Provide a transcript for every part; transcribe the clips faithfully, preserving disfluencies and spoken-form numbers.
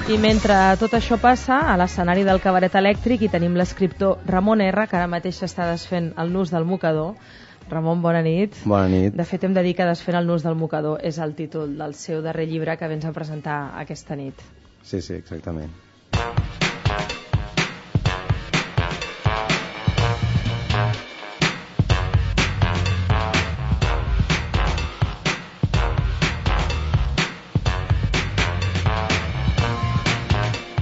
I mentre tot això passa, a l'escenari del Cabaret Elèctric hi tenim l'escriptor Ramon R, que ara mateix està desfent el nus del mocador. Ramon, bona nit. Bona nit. De fet, hem de dir que Desfent el nus del mocador és el títol del seu darrer llibre que vens a presentar aquesta nit. Sí, sí, exactament.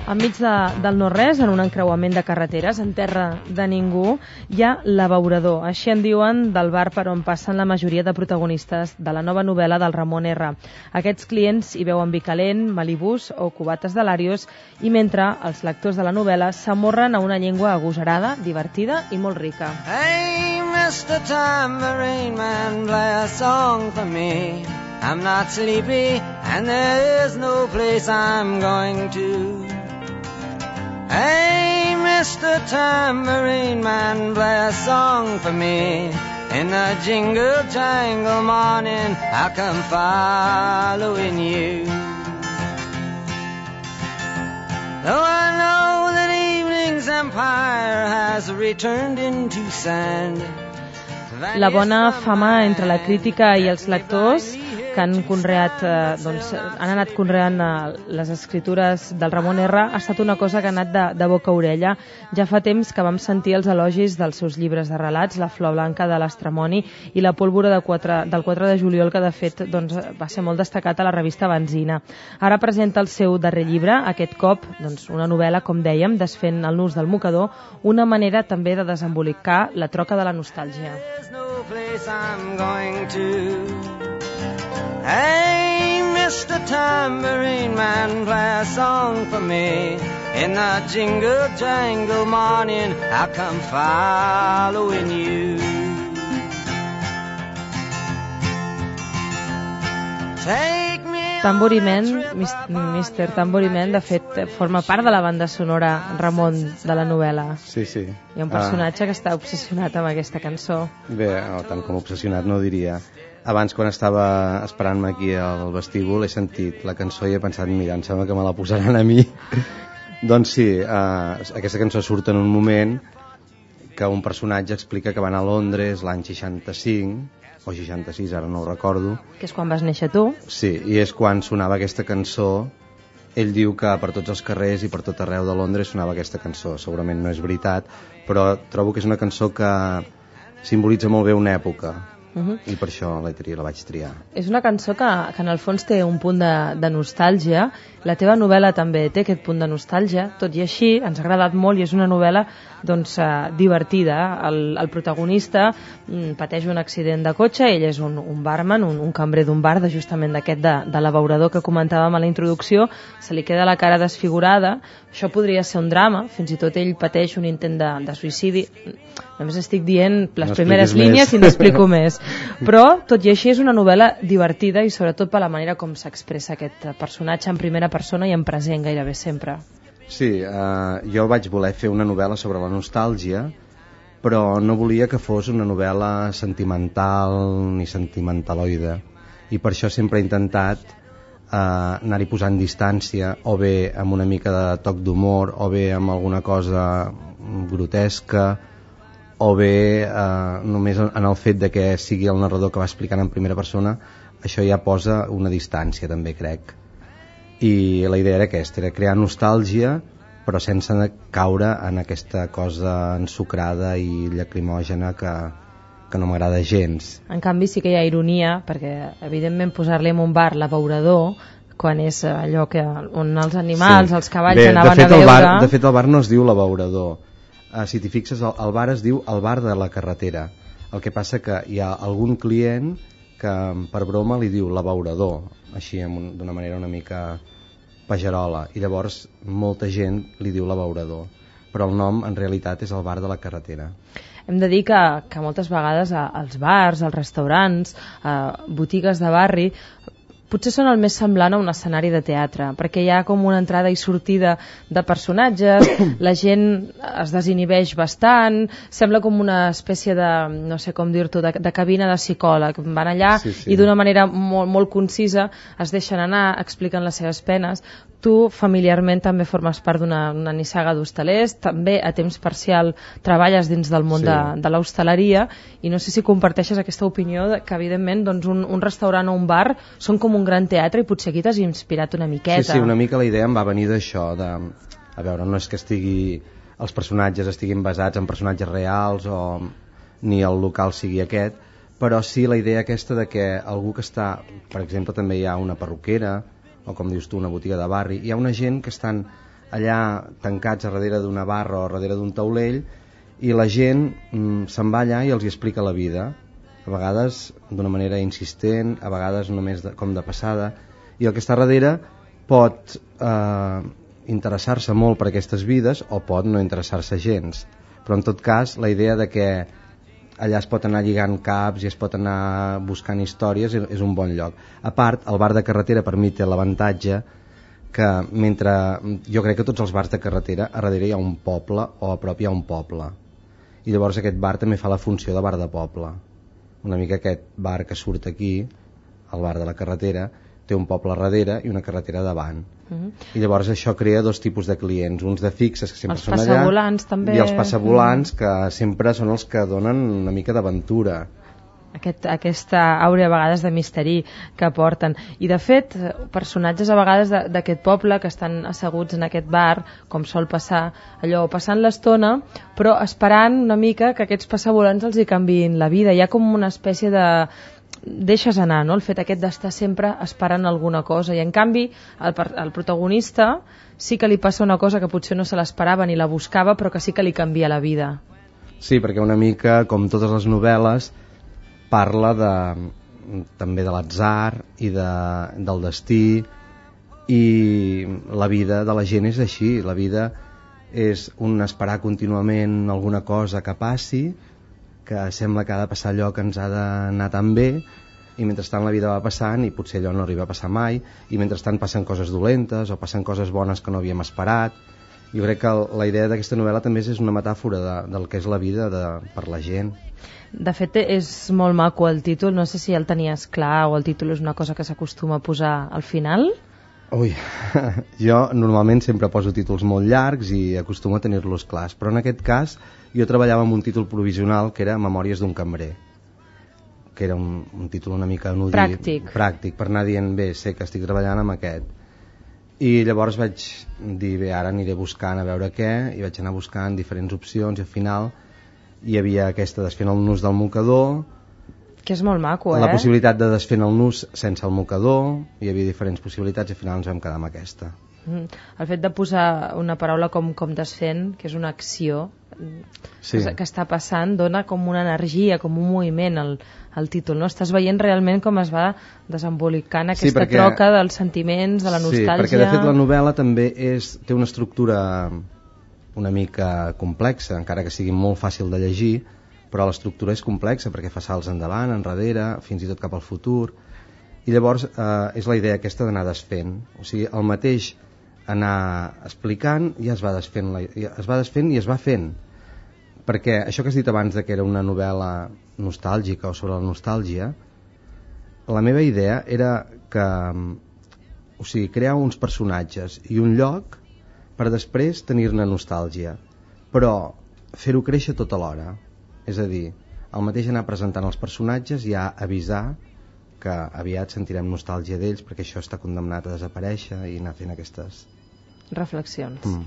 Enmig de, del no-res, en un encreuament de carreteres, en terra de ningú, hi ha l'Abeurador. Així en diuen del bar per on passen la majoria de protagonistes de la nova novel·la del Ramon R. Aquests clients hi veuen vi calent, malibús o cubates de Larios, i mentre els lectors de la novel·la s'amorren a una llengua agosarada, divertida i molt rica. Hey, mister Tambourine Man, play a song for me. I'm not sleepy and there is no place I'm going to. Hey, mister Tambourine Man, play a song for me. In the jingle jangle morning, I'll come following you. Though I know that evening's empire has returned into sand. La bona fama entre la crítica i els lectors que han conreat, eh, doncs, han anat conreant eh, les escritures del Ramon R ha estat una cosa que ha anat de, de boca a orella. Ja fa temps que vam sentir els elogis dels seus llibres de relats, La flor blanca de l'Estramoni i La pólvora de quatre, del quatre de juliol, que de fet doncs, va ser molt destacat a la revista Benzina. Ara presenta el seu darrer llibre, aquest cop doncs, una novel·la, com dèiem, Desfent el nus del mocador, una manera també de desembolicar la troca de la nostàlgia. Hey, mister Tambourine Man, play a song for me. In the jingle jangle morning, I'll come following you. Take me. Tambourine Man, mister Tambourine Man, de fet, forma part de la banda sonora, Ramon, de la novel·la. Sí, sí. Hi ha un personatge ah. que està obsessionat amb aquesta cançó. Bé, no, tant com obsessionat no diria. Abans, quan estava esperant-me aquí al vestíbul, he sentit la cançó i he pensat, mira, em sembla que me la posaran a mi. Doncs sí, eh, aquesta cançó surt en un moment que un personatge explica que va anar a Londres l'any seixanta-cinc, o seixanta-sis, ara no ho recordo. Que és quan vas néixer tu. Sí, i és quan sonava aquesta cançó. Ell diu que per tots els carrers i per tot arreu de Londres sonava aquesta cançó. Segurament no és veritat, però trobo que és una cançó que simbolitza molt bé una època. Uh-huh. I per això la, la vaig triar. És una cançó que, que en el fons té un punt de, de nostàlgia. La teva novel·la també té aquest punt de nostàlgia, tot i així ens ha agradat molt i és una novel·la doncs, eh, divertida. El, el protagonista mm, pateix un accident de cotxe, ell és un, un barman, un, un cambrer d'un bar, de justament d'aquest de, de l'Abeurador que comentàvem a la introducció, se li queda la cara desfigurada. Això podria ser un drama, fins i tot ell pateix un intent de, de suïcidi. Només estic dient les no primeres línies i n'explico més. Però, tot i així, és una novel·la divertida i sobretot per la manera com s'expressa aquest personatge en primera persona i en present gairebé sempre. Sí, eh, jo vaig voler fer una novel·la sobre la nostàlgia, però no volia que fos una novel·la sentimental ni sentimentaloide. I per això sempre he intentat eh, anar-hi posant distància, o bé amb una mica de toc d'humor, o bé amb alguna cosa grotesca, o bé eh, només en el fet de que sigui el narrador que va explicant en primera persona. Això ja posa una distància també, crec, i la idea era aquesta, era crear nostàlgia però sense caure en aquesta cosa ensucrada i lacrimògena que, que no m'agrada gens. En canvi sí que hi ha ironia, perquè evidentment posar-li en un bar l'Abeurador quan és allò que, on els animals, sí. els cavalls Bé, anaven fet, a veure... Bar, de fet el bar no es diu l'Abeurador. Uh, si t'hi fixes, el, el bar es diu el bar de la carretera. El que passa que hi ha algun client que per broma li diu l'Abeurador, així d'una manera una mica pagerola, i llavors molta gent li diu l'Abeurador, però el nom en realitat és el bar de la carretera. Hem de dir que, que moltes vegades als bars, als restaurants, a botigues de barri, potser són el més semblant a un escenari de teatre, perquè hi ha com una entrada i sortida de personatges, la gent es desinhibeix bastant, sembla com una espècie de, no sé com dir-t'ho, de, de cabina de psicòleg. Van allà sí, sí. i d'una manera molt, molt concisa es deixen anar, expliquen les seves penes. Tu familiarment també formes part d'una una nissaga d'hostalers, també a temps parcial treballes dins del món sí. de, de l'hostaleria, i no sé si comparteixes aquesta opinió de que evidentment doncs, un, un restaurant o un bar són com un gran teatre i potser aquí t'has inspirat una miqueta. Sí, sí, una mica la idea em va venir d'això, de, a veure, no és que estigui, els personatges estiguin basats en personatges reals o ni el local sigui aquest, però sí la idea aquesta de que algú que està, per exemple també hi ha una perruquera, o com dius tu, una botiga de barri, hi ha una gent que estan allà tancats a darrere d'una barra o a darrere d'un taulell, i la gent mm, se'n va allà i els hi explica la vida, a vegades d'una manera insistent, a vegades només de, com de passada, i el que està darrere pot eh, interessar-se molt per aquestes vides o pot no interessar-se gens, però en tot cas la idea de que allà es pot anar lligant caps i es pot anar buscant històries, és un bon lloc. A part, el bar de carretera per mi té l'avantatge que mentre jo crec que tots els bars de carretera a darrere hi ha un poble o a prop hi ha un poble, i llavors aquest bar també fa la funció de bar de poble, una mica aquest bar que surt aquí, el bar de la carretera, té un poble darrere i una carretera davant. Uh-huh. I llavors això crea dos tipus de clients, uns de fixes que sempre els són allà, passavolants, també. I els passavolants uh-huh. que sempre són els que donen una mica d'aventura. Aquest, aquesta àurea a vegades de misteri que porten. I de fet, personatges a vegades d'aquest poble que estan asseguts en aquest bar, com sol passar, allò passant l'estona, però esperant una mica que aquests passavolants els hi canviïn la vida. Hi ha com una espècie de deixes anar, no? El fet aquest d'estar sempre esperant alguna cosa, i en canvi el, el protagonista sí que li passa una cosa que potser no se l'esperava ni la buscava, però que sí que li canvia la vida. Sí, perquè una mica, com totes les novel·les, parla de, també de l'atzar i de, del destí, i la vida de la gent és així, la vida és un esperar contínuament alguna cosa que passi, que sembla que ha de passar allò que ens ha d'anar tan bé, i mentrestant la vida va passant i potser allò no arriba a passar mai, i mentrestant passen coses dolentes o passen coses bones que no havíem esperat. Jo crec que la idea d'aquesta novel·la també és una metàfora de, del que és la vida de, per la gent. De fet, és molt maco el títol, no sé si el tenies clar o el títol és una cosa que s'acostuma a posar al final. Ui, jo normalment sempre poso títols molt llargs i acostumo a tenir-los clars, però en aquest cas jo treballava amb un títol provisional que era Memòries d'un cambrer, que era un, un títol una mica anodí, pràctic. pràctic, per anar dient, bé, sé que estic treballant amb aquest. I llavors vaig dir, bé, ara aniré buscant a veure què, i vaig anar buscant diferents opcions, i al final hi havia aquesta desfent el nus del mocador, que és molt maco, eh? La possibilitat de desfent el nus sense el mocador, hi havia diferents possibilitats i al final ens vam quedar amb aquesta. Mm. El fet de posar una paraula com, com desfent, que és una acció sí. que, que està passant, dona com una energia, com un moviment al, al títol, no? Estàs veient realment com es va desembolicant aquesta sí, perquè, troca dels sentiments, de la nostàlgia. Sí, perquè de fet la novel·la també és, té una estructura una mica complexa, encara que sigui molt fàcil de llegir, però l'estructura és complexa perquè fa salts endavant, enrere, fins i tot cap al futur, i llavors eh, és la idea aquesta d'anar desfent, o sigui, el mateix anar explicant ja es va desfent, la, ja es va desfent i es va fent, perquè això que has dit abans de que era una novel·la nostàlgica o sobre la nostàlgia, la meva idea era que, o sigui, crear uns personatges i un lloc per després tenir-ne nostàlgia, però fer-ho créixer tot alhora. És a dir, el mateix anar presentant els personatges i ja avisar que aviat sentirem nostàlgia d'ells perquè això està condemnat a desaparèixer i anar fent aquestes reflexions. Mm.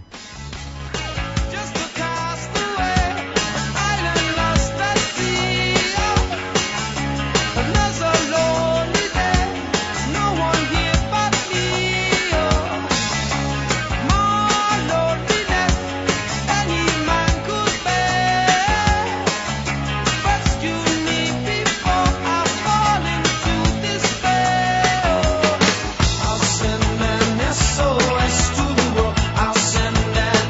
I'll send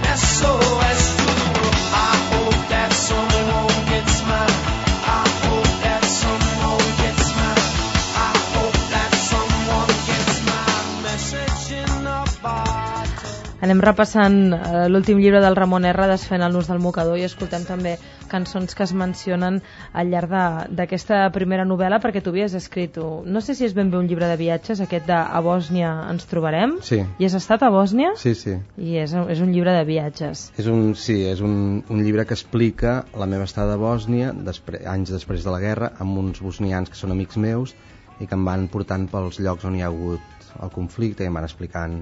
in a bottle. Anem repassant eh, l'últim llibre del Ramon R, Desfent el nus del mocador, i escoltem també cançons que es mencionen al llarg d'aquesta primera novel·la, perquè tu havies escrit, no sé si és ben bé un llibre de viatges, aquest de A Bòsnia ens trobarem. Sí. I has estat a Bòsnia? Sí, sí. I és, és un llibre de viatges. És un, sí, és un, un llibre que explica la meva estada a Bòsnia, després, anys després de la guerra, amb uns bosnians que són amics meus i que em van portant pels llocs on hi ha hagut el conflicte i em van explicant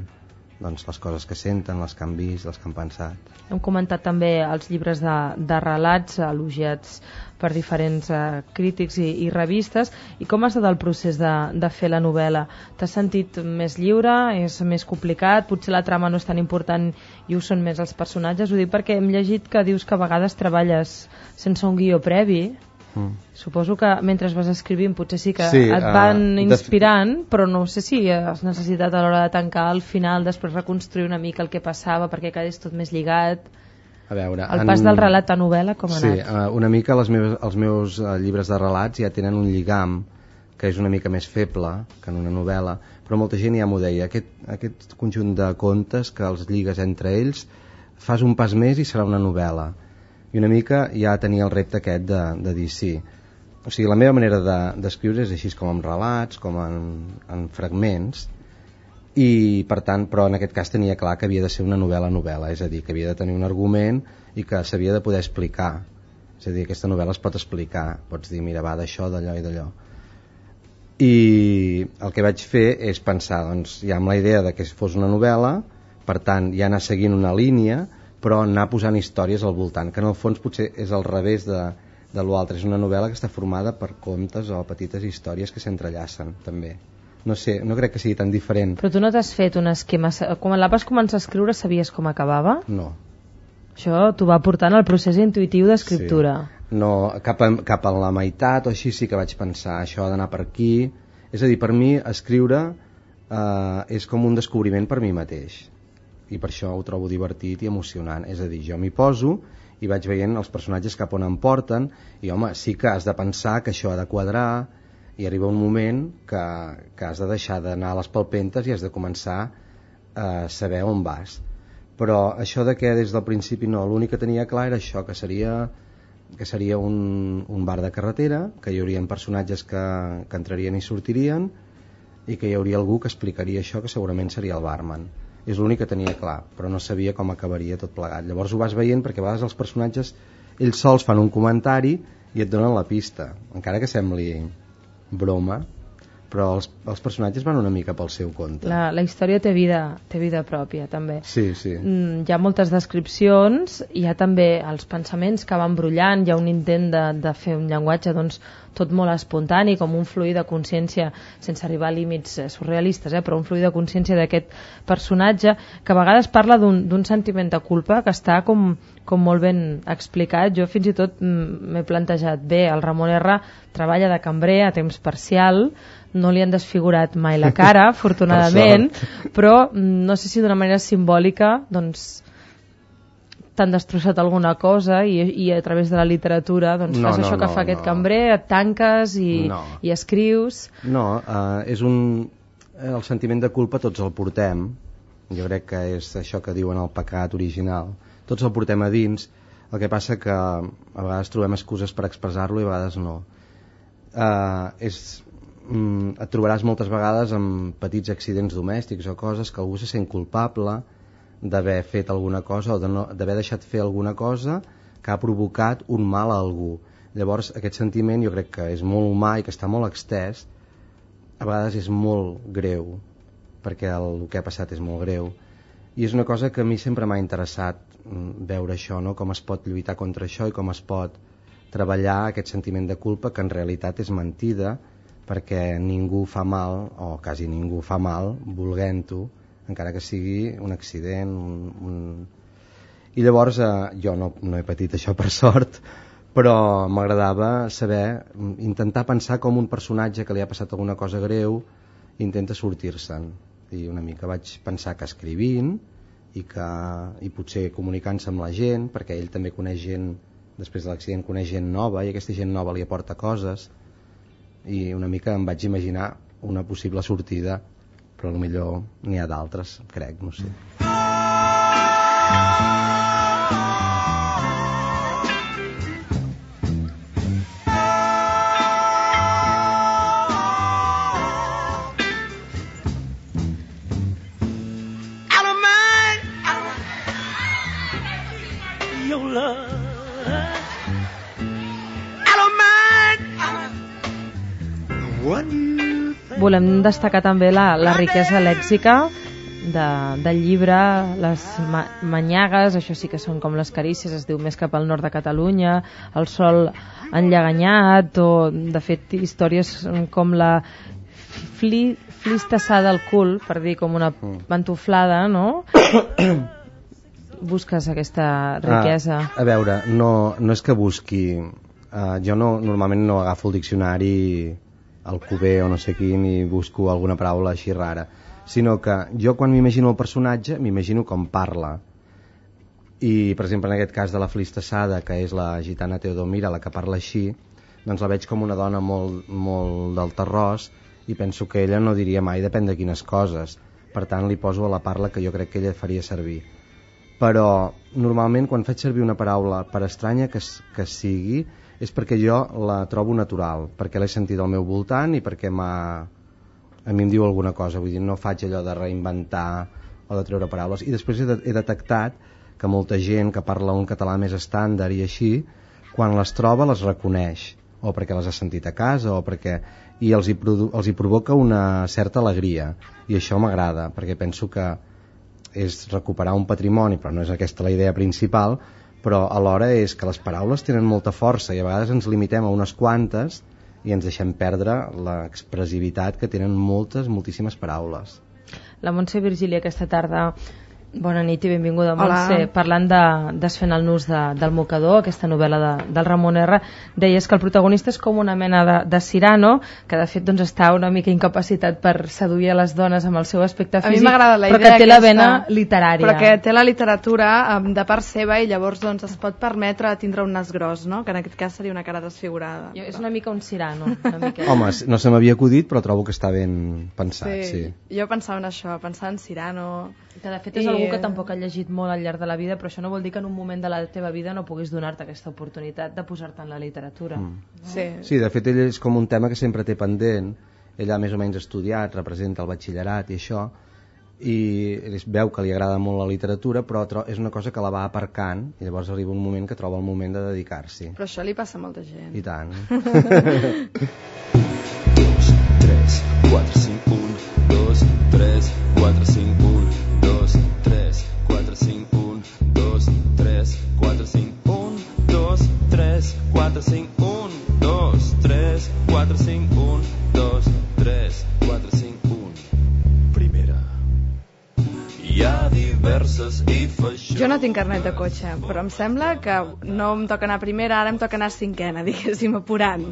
doncs, les coses que senten, les que han vist, les que han pensat. Hem comentat també els llibres de, de relats elogiats per diferents eh, crítics i, i revistes. I com ha estat el procés de, de fer la novel·la? T'has sentit més lliure? És més complicat? Potser la trama no és tan important i ho són més els personatges? Ho dic perquè hem llegit que dius que a vegades treballes sense un guió previ. Mm. Suposo que mentre vas escrivint potser sí que sí, et van uh, inspirant, però no sé si has necessitat a l'hora de tancar al final després reconstruir una mica el que passava perquè quedés tot més lligat. A veure, el pas en... del relat a novel·la com ha sí, anat? Sí, uh, una mica les meves, els meus uh, llibres de relats ja tenen un lligam que és una mica més feble que en una novel·la, però molta gent ja m'ho deia, aquest, aquest conjunt de contes que els lligues entre ells, fas un pas més i serà una novel·la. I una mica ja tenia el repte aquest de, de dir sí. O sigui, la meva manera d'escriure de, és així com en relats, com en, en fragments, i per tant, però en aquest cas tenia clar que havia de ser una novel·la-novel·la, és a dir, que havia de tenir un argument i que s'havia de poder explicar. És a dir, aquesta novel·la es pot explicar, pots dir, mira, va d'això, d'allò i d'allò. I el que vaig fer és pensar, doncs, ja amb la idea de que fos una novel·la, per tant, ja anar seguint una línia, però anar posant històries al voltant, que en el fons potser és al revés de, de l'altre. És una novel·la que està formada per contes o petites històries que s'entrellacen, també. No sé, no crec que sigui tan diferent. Però tu no t'has fet un esquema... Quan la vas començar a escriure sabies com acabava? No. Això t'ho va portant al procés intuïtiu d'escriptura. Sí. No, cap a, cap a la meitat o així sí que vaig pensar, això ha d'anar per aquí. És a dir, per mi escriure eh, és com un descobriment per mi mateix. I per això ho trobo divertit i emocionant. És a dir, jo m'hi poso i vaig veient els personatges cap on em porten i home, sí que has de pensar que això ha de quadrar i arriba un moment que, que has de deixar d'anar a les palpentes i has de començar a saber on vas. Però això de que des del principi no, l'únic que tenia clar era això, que seria, que seria un, un bar de carretera, que hi haurien personatges que, que entrarien i sortirien i que hi hauria algú que explicaria això, que segurament seria el barman. És l'únic que tenia clar, però no sabia com acabaria tot plegat. Llavors ho vas veient perquè a vegades els personatges ells sols fan un comentari i et donen la pista, encara que sembli broma, però els, els personatges van una mica pel seu compte. La, la història té vida, té vida pròpia, també. Sí, sí. Mm, hi ha moltes descripcions, hi ha també els pensaments que van brollant, hi ha un intent de, de fer un llenguatge doncs, tot molt espontani, com un fluir de consciència, sense arribar a límits eh, surrealistes, eh, però un fluir de consciència d'aquest personatge, que a vegades parla d'un sentiment de culpa que està com, com molt ben explicat. Jo fins i tot m'he plantejat, bé, el Ramon R treballa de cambrer a temps parcial, no li han desfigurat mai la cara, afortunadament, però no sé si d'una manera simbòlica doncs t'han destrossat alguna cosa i, i a través de la literatura doncs no, fas no, això que no, fa aquest no. cambrer, et tanques i, no. i escrius. No, uh, és un... el sentiment de culpa tots el portem, jo crec que és això que diuen el pecat original, tots el portem a dins, el que passa que a vegades trobem excuses per expressar-lo i a vegades no. Uh, és, mm, et trobaràs moltes vegades amb petits accidents domèstics o coses que algú se sent culpable d'haver fet alguna cosa o d'haver no, deixat fer alguna cosa que ha provocat un mal a algú. Llavors aquest sentiment jo crec que és molt humà i que està molt extès, a vegades és molt greu perquè el, el que ha passat és molt greu i és una cosa que a mi sempre m'ha interessat veure això, no? Com es pot lluitar contra això i com es pot treballar aquest sentiment de culpa que en realitat és mentida perquè ningú fa mal o quasi ningú fa mal volent-ho, encara que sigui un accident un, un... i llavors eh, jo no, no he patit això per sort, però m'agradava saber, intentar pensar com un personatge que li ha passat alguna cosa greu intenta sortir-se'n i una mica vaig pensar que escrivint i, que, i potser comunicant-se amb la gent, perquè ell també coneix gent, després de l'accident coneix gent nova i aquesta gent nova li aporta coses i una mica em vaig imaginar una possible sortida però potser n'hi ha d'altres, crec, no sé. Volem destacar també la, la riquesa lèxica de, del llibre, les ma manyagues, això sí que són com les carícies, es diu Més cap al nord de Catalunya, El sol enllaganyat, o de fet històries com la fli, flistassada al cul, per dir com una pantuflada, no? Busques aquesta riquesa. Ah, a veure, no, no és que busqui, uh, jo no, normalment no agafo el diccionari al Cuber o no sé quin i busco alguna paraula així rara, sinó que jo quan m'imagino el personatge m'imagino com parla, i per exemple en aquest cas de la flistassada, que és la gitana Teodomira la que parla així, doncs la veig com una dona molt, molt del terròs, i penso que ella no diria mai depèn de quines coses, per tant li poso a la parla que jo crec que ella faria servir. Però normalment quan faig servir una paraula, per estranya que, que sigui, és perquè jo la trobo natural, perquè l'he sentit al meu voltant i perquè m'ha... a mi em diu alguna cosa, vull dir, no faig allò de reinventar o de treure paraules. I després he, de, he detectat que molta gent que parla un català més estàndard i així, quan les troba les reconeix, o perquè les ha sentit a casa, o perquè... i els hi, produ... els hi provoca una certa alegria, i això m'agrada, perquè penso que és recuperar un patrimoni, però no és aquesta la idea principal, però alhora és que les paraules tenen molta força i a vegades ens limitem a unes quantes i ens deixem perdre l'expressivitat que tenen moltes, moltíssimes paraules. La Montse Virgili aquesta tarda, bona nit i benvinguda, Montse. Parlant de Desfent el nus de, del mocador, aquesta novel·la de, del Ramon R, deies que el protagonista és com una mena de, de Cyrano, que de fet doncs, està una mica incapacitat per seduir a les dones amb el seu aspecte físic, a mi m'agrada la idea, però que té aquesta, la vena literària. Però que té la literatura um, de part seva i llavors doncs, es pot permetre tindre un nas gros, no? Que en aquest cas seria una cara desfigurada. Jo, és una mica un Cyrano. Una mica. Home, no se m'havia acudit, però trobo que està ben pensat. Sí. Sí. Jo pensava en això, pensava en Cyrano... Que de fet és I... algú que tampoc ha llegit molt al llarg de la vida, però això no vol dir que en un moment de la teva vida no puguis donar-te aquesta oportunitat de posar-te en la literatura. Mm. No? Sí. Sí, de fet ell és com un tema que sempre té pendent, ell ha més o menys estudiat, representa el batxillerat i això, i es veu que li agrada molt la literatura, però és una cosa que la va aparcant i llavors arriba un moment que troba el moment de dedicar-s'hi. Però això li passa a molta gent. I tant. dos, tres, quatre, cinc, un, dos, tres, quatre, cinc, un, dos, tres, quatre, cinc, un, dos, tres, quatre, cinc, un, dos, tres, quatre, cinc, un, dos, tres, quatre, cinc, un, dos, tres, quatre, cinc, un. Primera. Hi ha diverses i feixó. Jo no tinc carnet de cotxe, però em sembla que no em toca anar a primera, ara em toca anar a cinquena, diguéssim, apurant.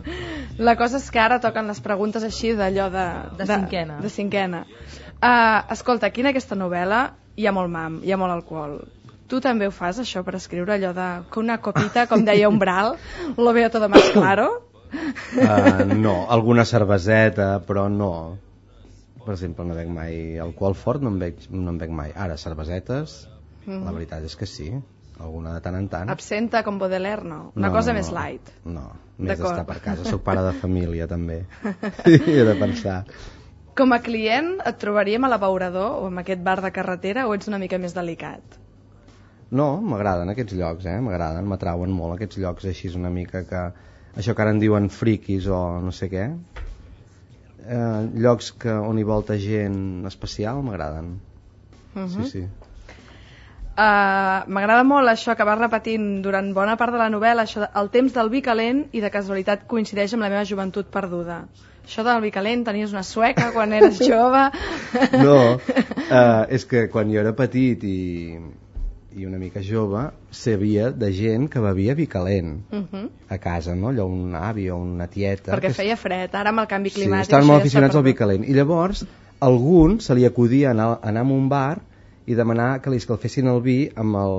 La cosa és que ara toquen les preguntes així d'allò de... De cinquena. De, de cinquena. Uh, escolta, aquí en aquesta novel·la hi ha molt mam, hi ha molt alcohol. Tu també ho fas, això, per escriure allò de que una copita, com deia Umbral, lo veo todo más claro? Uh, no, alguna cerveseta, però no. Per exemple, no bec mai alcohol fort, no en bec, no en bec mai. Ara, cervesetes, mm. la veritat és que sí, alguna de tant en tant. Absenta com Baudelaire, no? Una no, cosa no, més light. No, més d'estar per casa. Soc pare de família, també. I he de pensar. Com a client, et trobaríem a l'Abeurador o en aquest bar de carretera o ets una mica més delicat? No, m'agraden aquests llocs, eh? M'agraden, m'atrauen molt aquests llocs així una mica que... Això que ara en diuen friquis o no sé què. Eh, llocs que, on hi volta gent especial m'agraden. Uh-huh. Sí, sí. Uh, m'agrada molt això que vas repetint durant bona part de la novel·la, això de, el temps del vi calent, i de casualitat coincideix amb la meva joventut perduda. Això del vi calent, tenies una sueca quan eres jove? No, uh, és que quan jo era petit i, i una mica jove sabia de gent que bevia vi calent uh-huh. a casa, no? Allò un avi o una tieta. Perquè que... feia fred, ara amb el canvi climàtic... Sí, estaven molt aficionats al vi calent. I llavors a algun se li acudia anar, anar a un bar i demanar que li escalfessin el vi amb el,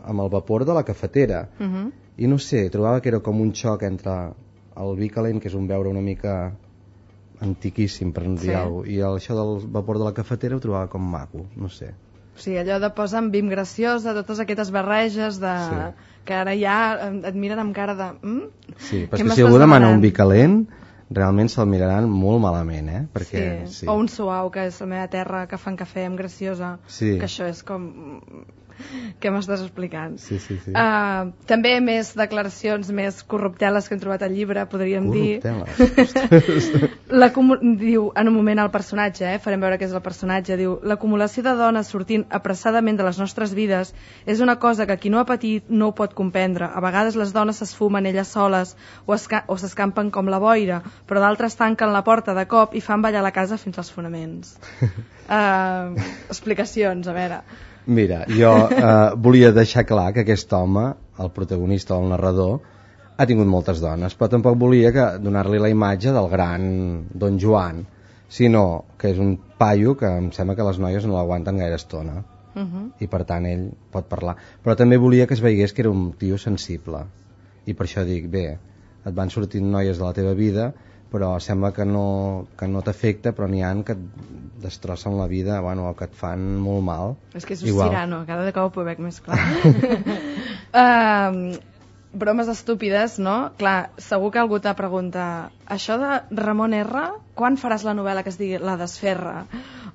amb el vapor de la cafetera. Uh-huh. I no sé, trobava que era com un xoc entre el vi calent, que és un beure una mica antiquíssim, per no dir Sí. alguna cosa. I el, això del vapor de la cafetera ho trobava com maco, no sé. O sigui, allò de posar amb Bim graciosa, totes aquestes barreges de... Sí. que ara ja et miren amb cara de... Mm? Sí, però Què és que m'estàs si algú demana demanant? un vi calent, realment se'l miraran molt malament, eh? Perquè, Sí. sí. O un suau, que és la meva terra, que fan cafè amb graciosa, Sí. que això és com... Què m'estàs explicant? Sí, sí, sí. Uh, també més declaracions més corrupteles que hem trobat al llibre, podríem dir. Corrupteles. L'acumu- diu, en un moment el personatge, eh, farem veure què és el personatge, diu, l'acumulació de dones sortint apressadament de les nostres vides és una cosa que qui no ha patit no ho pot comprendre. A vegades les dones s'esfumen elles soles o, esca o s'escampen com la boira, però d'altres tanquen la porta de cop i fan ballar la casa fins als fonaments. Uh, explicacions, a veure. Mira, jo eh, volia deixar clar que aquest home, el protagonista o el narrador, ha tingut moltes dones, però tampoc volia que donar-li la imatge del gran Don Joan, sinó que és un paio que em sembla que les noies no l'aguanten gaire estona, Uh -huh. i per tant ell pot parlar. Però també volia que es veiés que era un tio sensible, i per això dic, bé, et van sortint noies de la teva vida, però sembla que no, que no t'afecta, però n'hi ha que et destrossen la vida, bueno, o que et fan molt mal. És que és un Igual. Cirano, cada cop ho veig més clar. uh, bromes estúpides, no? Clar, segur que algú t'ha preguntat, això de Ramon R, quan faràs la novel·la que es digui La desferra?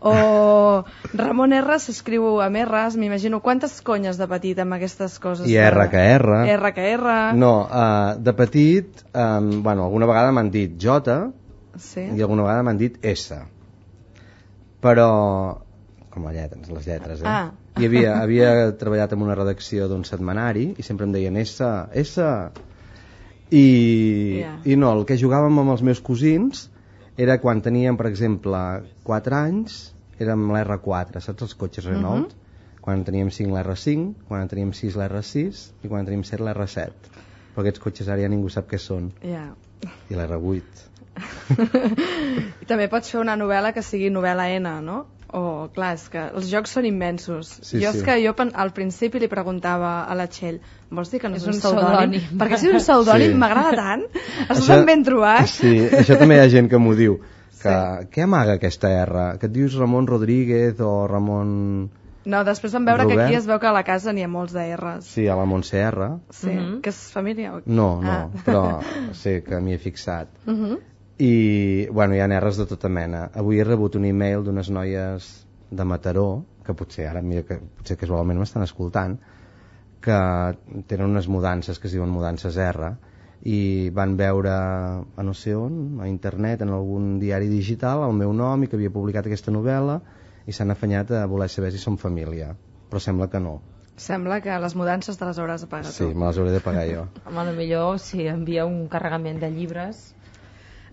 O Ramon R s'escriu amb R's, m'imagino, quantes conyes de petit amb aquestes coses? I de... R que R. R que R. No, uh, de petit, um, bueno, alguna vegada m'han dit J Sí. i alguna vegada m'han dit S. Però, com les lletres, les lletres, eh? Ah. I havia, havia treballat en una redacció d'un setmanari i sempre em deien S, S. I, Yeah. I no, el que jugàvem amb els meus cosins era quan teníem, per exemple, quatre anys, érem l'R quatre, saps els cotxes Renault? Mhm. Quan en teníem cinc l'R cinc, quan en teníem sis l'R sis i quan en teníem set l'R set. Però aquests cotxes ara ja ningú sap què són. Ja. I l'R vuit. I també pots fer una novel·la que sigui novel·la N, no? O, clar, és que els jocs són immensos. Sí, jo sí. és que jo pen- al principi li preguntava a la Txell, vols dir que no és, És un un pseudònim? pseudònim. Perquè si és un pseudònim Sí. m'agrada tant. Estàs Això- tan ben trobat. Sí, això també hi ha gent que m'ho diu. Que, què amaga aquesta R? Que et dius Ramon Rodríguez o Ramon... No, després vam veure que Robert? aquí es veu que a la casa n'hi ha molts de R's. Sí, a la Montse R. Sí, Mhm. que és família? O... No, no, Ah. però sí que m'hi he fixat. Uh -huh. I, bueno, hi ha R's de tota mena. Avui he rebut un e-mail d'unes noies de Mataró, que potser ara, mira, que potser casualment m'estan escoltant, que tenen unes mudances que es diuen mudances R, i van veure a no sé on, a internet, en algun diari digital, el meu nom i que havia publicat aquesta novel·la, i s'han afanyat a voler saber si som família, però sembla que no. Sembla que les mudances te les hauràs de pagar Sí, tu. me les hauré de pagar jo. Home, millor si envia un carregament de llibres.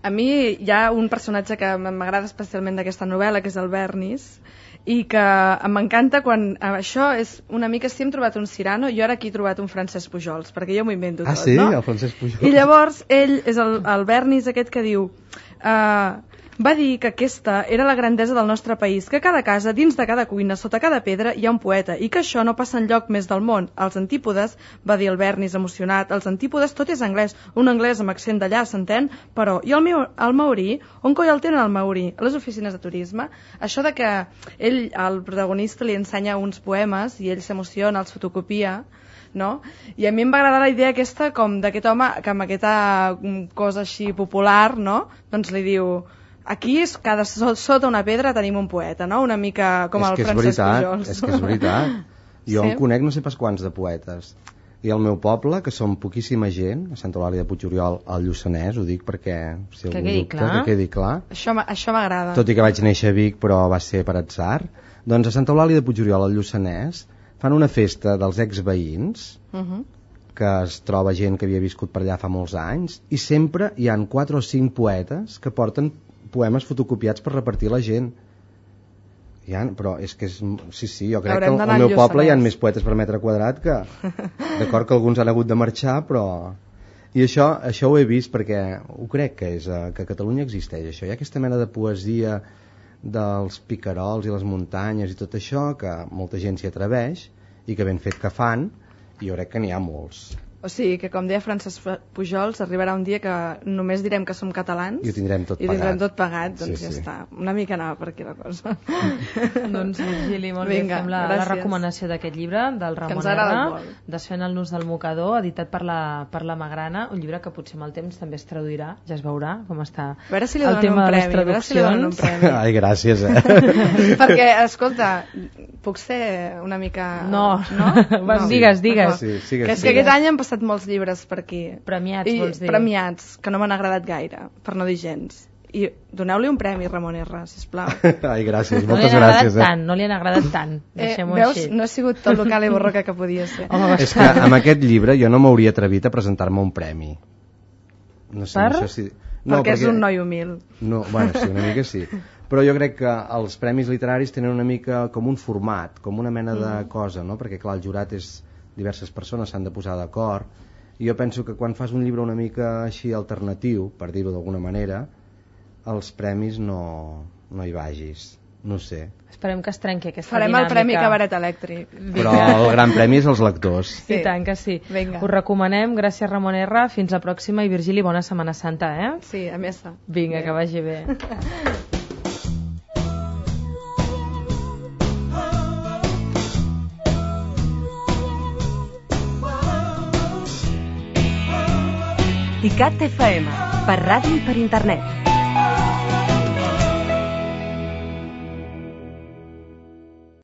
A mi hi ha un personatge que m'agrada especialment d'aquesta novel·la, que és el Bernis, i que m'encanta quan... Això és una mica... Si hem trobat un Cirano, jo ara aquí he trobat un Francesc Pujols, perquè jo m'ho invento Ah, tot, sí? no? El Francesc Pujols. I llavors ell és el, el Bernis aquest que diu... Uh, va dir que aquesta era la grandesa del nostre país, que a cada casa, dins de cada cuina, sota cada pedra, hi ha un poeta, i que això no passa enlloc més del món. Els antípodes, va dir el Bernis emocionat, els antípodes tot és anglès, un anglès amb accent d'allà, s'entén? Però, i el, meu, el maorí? On coi el tenen el maorí? A les oficines de turisme? Això de que ell, el protagonista, li ensenya uns poemes i ell s'emociona, els fotocopia, no? I a mi em va agradar la idea aquesta com d'aquest home que amb aquesta cosa així popular, no? Doncs li diu... Aquí, cada, sota una pedra, tenim un poeta, no? Una mica com és el que és Francesc veritat, Pujols. És que és veritat. Jo Sí? en conec no sé pas quants de poetes. I al meu poble, que som poquíssima gent, a Santa Eulàlia de Puigoriol, al Lluçanès, ho dic perquè... Si Que algú quedi dubta, clar. Que quedi clar. Això, m'a- això m'agrada. Tot i que vaig néixer a Vic, però va ser per atzar. Doncs a Santa Eulàlia de Puigoriol, al Lluçanès, fan una festa dels exveïns, Uh -huh. que es troba gent que havia viscut per allà fa molts anys, i sempre hi han quatre o cinc poetes que porten poemes fotocopiats per repartir a la gent. Hi ha, però és que és... Sí, sí, jo crec Haurem que al, d'anar al meu al poble hi ha Lluçanès. més poetes per metre quadrat que... D'acord que alguns han hagut de marxar, però... I això, això ho he vist perquè ho crec que és eh, que a Catalunya existeix això. Hi ha aquesta mena de poesia dels picarols i les muntanyes i tot això, que molta gent s'hi atreveix i que ben fet que fan, i jo crec que n'hi ha molts. O sigui que, com deia Francesc Pujols, arribarà un dia que només direm que som catalans i ho tindrem tot i pagat. I tindrem tot pagat, doncs sí, ja sí. està. Una mica anava per aquí la cosa. Doncs, Virgili, molt Vinga, bé, fem la, la recomanació d'aquest llibre, del Ramon R, Desfent el nus del mocador, editat per la, per la Magrana, un llibre que potser amb el temps també es traduirà, ja es veurà com està a veure si li el tema un de les premi, traduccions. Si li donen un premi. Ai, gràcies, eh? Perquè, escolta, puc ser una mica... No, no? no. Digues, digues. Sí, sí, que és que aquest any han passat molts llibres per aquí. Premiats, I, vols dir? Premiats, que no m'han agradat gaire, per no dir gens. I doneu-li un premi, Ramon R, sisplau. Ai, gràcies, no moltes gràcies. gràcies. Eh? Tant, no li han agradat tant, deixem-ho eh, veus? així. No ha sigut tot local i borroca que podia ser. Home, és que amb aquest llibre jo no m'hauria atrevit a presentar-me un premi. No sé, per? No sé si... no, perquè, perquè és un noi humil. No, bueno, sí, una mica sí. Però jo crec que els premis literaris tenen una mica com un format, com una mena de mm. cosa, no? Perquè clar, el jurat és diverses persones, s'han de posar d'acord, i jo penso que quan fas un llibre una mica així alternatiu, per dir-ho d'alguna manera, els premis no, no hi vagis, no sé. Esperem que es trenqui aquesta Farem dinàmica. el Premi Cabaret Elèctric. Però el gran premi és els lectors. Sí. I tant que sí. Vinga. Us recomanem, gràcies Ramon R, fins la pròxima, i Virgili, bona Setmana Santa, eh? Sí, a més. Vinga, que vagi bé. ICAT F M, per ràdio i per internet.